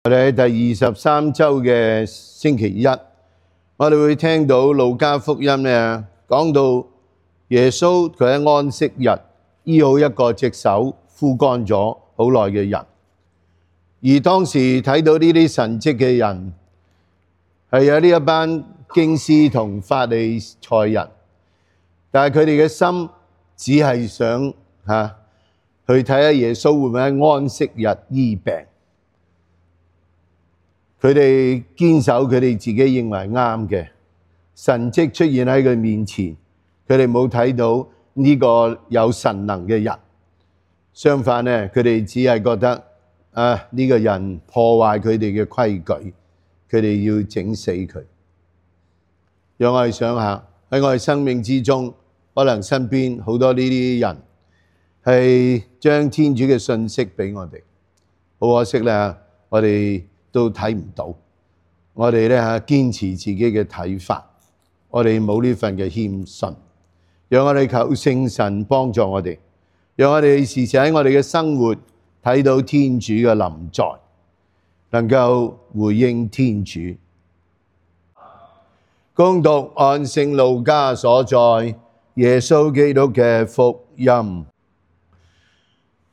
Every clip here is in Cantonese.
我哋喺第23週嘅星期一，我哋會聽到路加福音咧講到耶穌佢喺安息日醫好一個隻手枯乾咗好耐嘅人，而當時睇到呢啲神蹟嘅人係有呢一班經師同法利賽人，但係佢哋嘅心只係想去睇下耶穌會唔會喺安息日醫病。佢哋堅守佢哋自己認為啱嘅神蹟出現喺佢面前，佢哋冇睇到呢個有神能嘅人。相反呢，佢哋只係覺得呢個人破壞佢哋嘅規矩，佢哋要整死佢。讓我哋想下喺我哋生命之中，可能身邊好多呢啲人係將天主嘅信息俾我哋，好可惜咧，我哋都睇唔到，我哋咧堅持自己嘅睇法，我哋冇呢份嘅謙遜。讓我哋求聖神幫助我哋，讓我哋時時喺我哋嘅生活睇到天主嘅臨在，能夠回應天主。恭讀按聖路加所載耶穌基督嘅福音。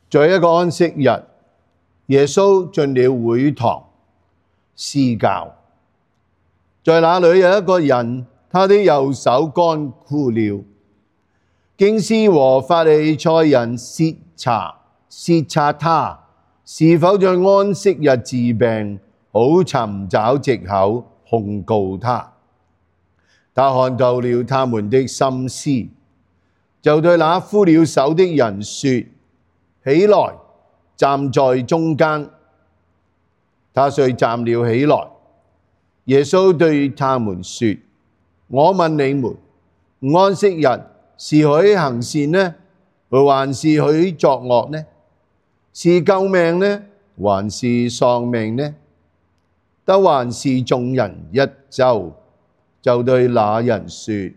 在一個安息日，耶穌進了會堂施教，在那裏有一個人，他的右手乾枯了。經師和法利賽人竊察他是否在安息日治病，好尋找藉口控告他。他看透了他們的心思，就對那枯了手的人說：起來，站在中間。他遂站了起來。耶穌對他們說：我問你們，安息日是許行善呢，還是許作惡呢？是救命呢，還是喪命呢？得還是眾人一周？就對那人說：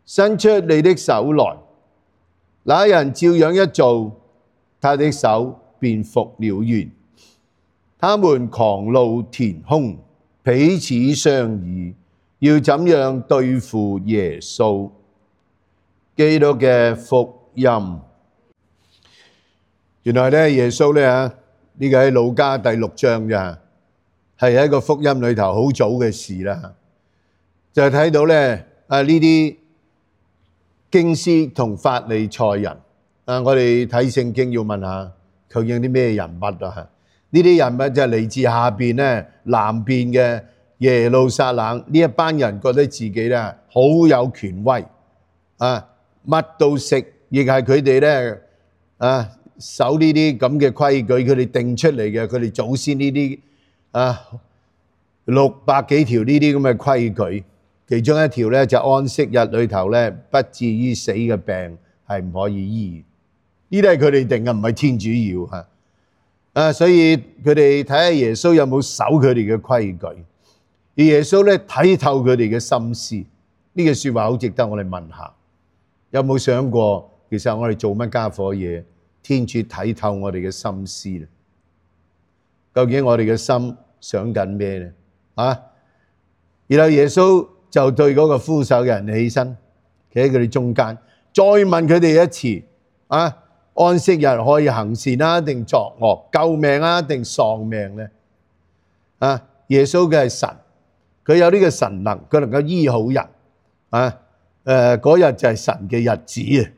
伸出你的手來。那人照樣一做，他的手便復了原。他們狂怒填胸，彼此商議，要怎樣對付耶穌。基督嘅福音。原來咧，耶穌咧呢個喺路加第6章嘅，係喺一個福音裏頭好早嘅事啦。就睇到咧呢啲經師同法利賽人我哋睇聖經要問下究竟啲咩人物啊？呢啲人物就係嚟自下邊咧南邊嘅耶路撒冷呢一班人，覺得自己咧好有權威乜都識，亦係佢哋咧守呢啲咁嘅規矩，佢哋定出嚟嘅，佢哋祖先呢啲600幾條呢啲咁嘅規矩。其中一條咧就安息日裏頭咧不至於死嘅病係唔可以醫，呢啲係佢哋定嘅，唔係天主要所以佢哋睇下耶穌有冇守佢哋嘅規矩，而耶穌咧睇透佢哋嘅心思。呢句說話好值得我哋問下，有冇想過其實我哋做乜家伙嘢，天主睇透我哋嘅心思咧？究竟我哋嘅心想緊咩咧？然後耶穌就對嗰個枯手嘅人起身，企喺佢哋中間，再問佢哋一次安息日可以行善定作惡，救命定喪命咧？耶穌嘅係神，佢有呢個神能，佢能夠醫好人嗰日就係神嘅日子啊！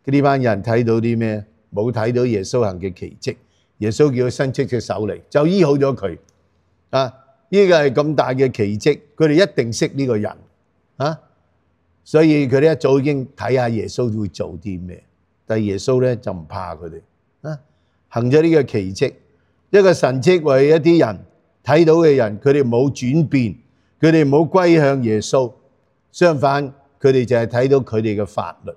呢班人睇到啲咩？冇睇到耶穌行嘅奇蹟。耶穌叫佢伸出隻手嚟，就醫好咗佢呢個係咁大嘅奇蹟，佢哋一定識呢個人所以佢哋一早已經睇下耶穌會做啲咩。但係耶穌咧就唔怕佢哋行咗呢個奇蹟，一個神蹟為一啲人睇到嘅人，佢哋冇轉變，佢哋冇歸向耶穌，相反佢哋就係睇到佢哋嘅法律。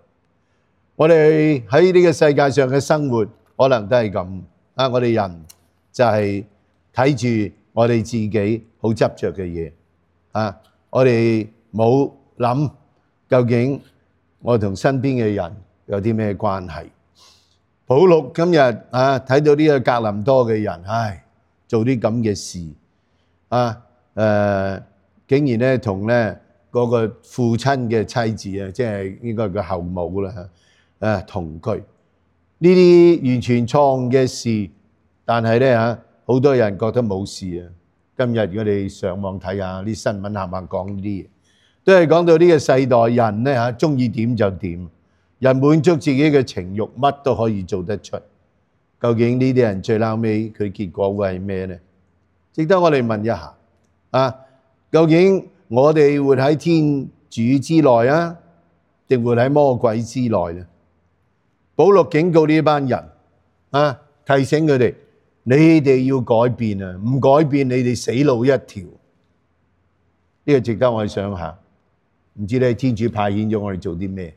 我哋喺呢個世界上嘅生活可能都係咁我哋人就係睇住我哋自己好執着嘅嘢我哋冇諗究竟我同身邊嘅人有啲咩關係。保祿今日睇到呢個格林多嘅人，做啲咁嘅事啊！竟然咧同咧嗰個父親嘅妻子啊，即係應該係個後母啦嚇，同居。呢啲完全錯誤嘅事，但係咧嚇好多人覺得冇事啊！今日如果你上網睇下啲新聞，係咪講呢啲嘢，都係講到呢個世代人咧嚇，中意點就點，人滿足自己嘅情慾，乜都可以做得出。究竟呢啲人最後尾佢結果會係咩呢？值得我哋問一下啊！究竟我哋活喺天主之內啊，定活喺魔鬼之內呢？保祿警告呢班人啊，提醒佢哋：你哋要改變啊！唔改變，你哋死路一條。呢個值得我哋想下。唔知咧，天主派遣咗我哋做啲咩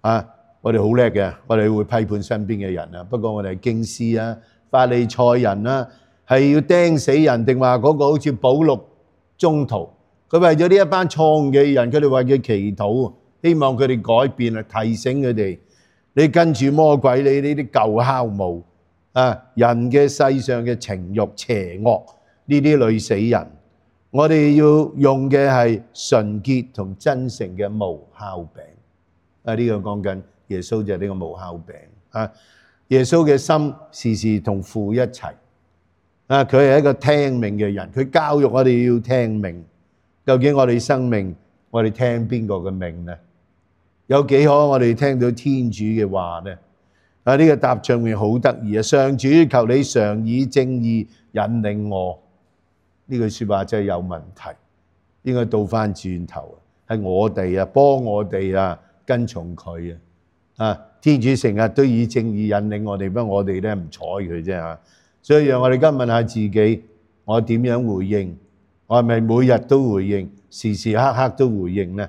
啊？我哋好叻嘅，我哋會批判身邊嘅人啊。不過我哋係經師啊、法利賽人啊，係要釘死人定話嗰個好似保祿宗徒，佢為咗呢一班錯誤嘅人，佢哋為佢祈禱，希望佢哋改變啊，提醒佢哋。你跟住魔鬼，你呢啲舊酵母啊，人嘅世上嘅情慾邪惡，呢啲累死人。我哋要用嘅係純潔同真誠嘅無酵餅。啊，呢個講緊耶穌就係呢個無酵餅啊。耶穌嘅心時時同父一齊啊，佢係一個聽命嘅人，佢教育我哋要聽命。究竟我哋生命，我哋聽邊個嘅命呢？有幾可我哋聽到天主嘅話呢？啊，呢個答上面好得意啊！上主，求你常以正義引領我。呢句説話真係有問題，應該倒翻轉頭，係我哋啊，幫我哋啊，跟從佢啊！啊，天主成日都以正義引領我哋，不過我哋咧唔睬佢啫嚇。所以讓我哋今日問下自己，我點樣回應？我係咪每日都回應，時時刻刻都回應呢？